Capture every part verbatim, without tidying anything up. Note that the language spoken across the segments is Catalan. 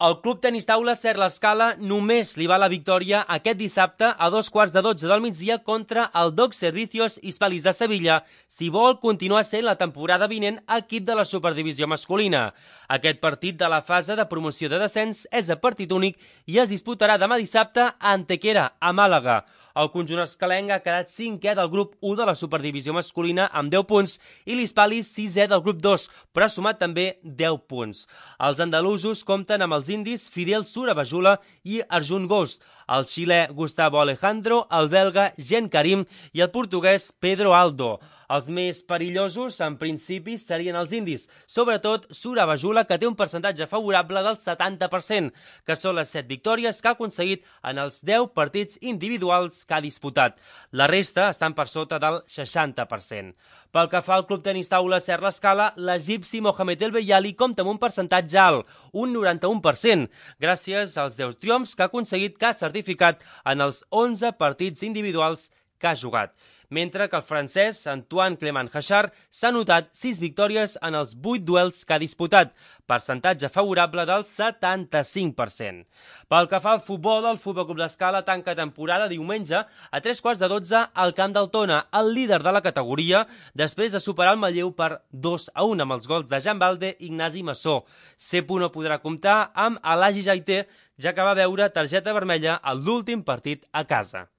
El Club Tenis Taula Ser l'Escala només li va la victòria aquest dissabte a dos quarts de dotze del migdia contra el Doc Servicios Hispalis de Sevilla, si vol continuar sent la temporada vinent equip de la Superdivisió masculina. Aquest partit de la fase de promoció de descens és a partit únic i es disputarà demà dissabte a Antequera, a Màlaga. El conjunt escalenc ha quedat cinquè del grup u de la Superdivisió masculina amb deu punts i l'Hispalis sisè del grup dos, però ha sumat també deu punts. Els andalusos compten amb els indis Fidel Surabajula i Arjun Ghost, el xilè Gustavo Alejandro, el belga Gen Karim i el portuguès Pedro Aldo. Els més perillosos, en principi, serien els indis, sobretot Surabajula, que té un percentatge favorable del setanta per cent, que són les set victòries que ha aconseguit en els deu partits individuals que ha disputat. La resta estan per sota del seixanta per cent. Pel que fa al Club Tenis Taula Ser l'Escala, l'egipci Mohamed El Beyali compta amb un percentatge alt, un noranta-u per cent, gràcies als deu triomfs que ha aconseguit que ha certificat en els onze partits individuals que ha jugat, mentre que el francès Antoine Clément Hachard s'ha notat sis victòries en els vuit duels que ha disputat, percentatge favorable del setanta-cinc per cent. Pel que fa al futbol, el Futbol Club l'Escala tanca temporada diumenge a tres quarts de dotze al Camp del Tona, el líder de la categoria, després de superar el Manlleu per dos a un amb els gols de Jan Balde i Ignasi Massó. Cepo no podrà comptar amb Alagi Jaité, ja que va veure targeta vermella a l'últim partit a casa.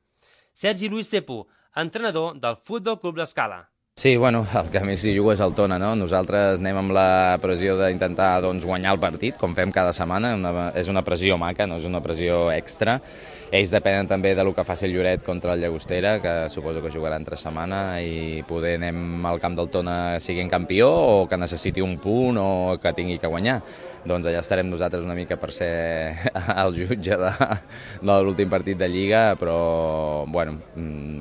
Sergi Luis Cepo, entrenador del Futbol Club l'Escala. Sí, bueno, el que més hi juga és el Tona, no? Nosaltres anem amb la pressió d'intentar doncs, guanyar el partit, com fem cada setmana. Una, és una pressió maca, no és una pressió extra. Ells depenen també del que faci el Lloret contra el Llagostera, que suposo que jugarà entre setmana, i poder anem al camp del Tona siguent campió o que necessiti un punt o que tingui que guanyar. Doncs allà estarem nosaltres una mica per ser el jutge de, de l'últim partit de Lliga, però bueno,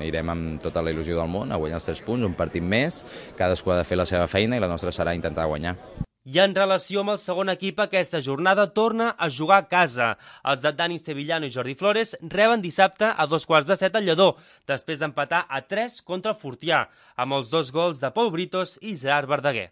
irem amb tota la il·lusió del món a guanyar els tres punts, un partit més, cadascú ha de fer la seva feina i la nostra serà intentar guanyar. I en relació amb el segon equip, aquesta jornada torna a jugar a casa. Els de Dani Sevillano i Jordi Flores reben dissabte a dos quarts de set al Lledó, després d'empatar a tres contra el Fortià, amb els dos gols de Pol Britos i Gerard Verdaguer.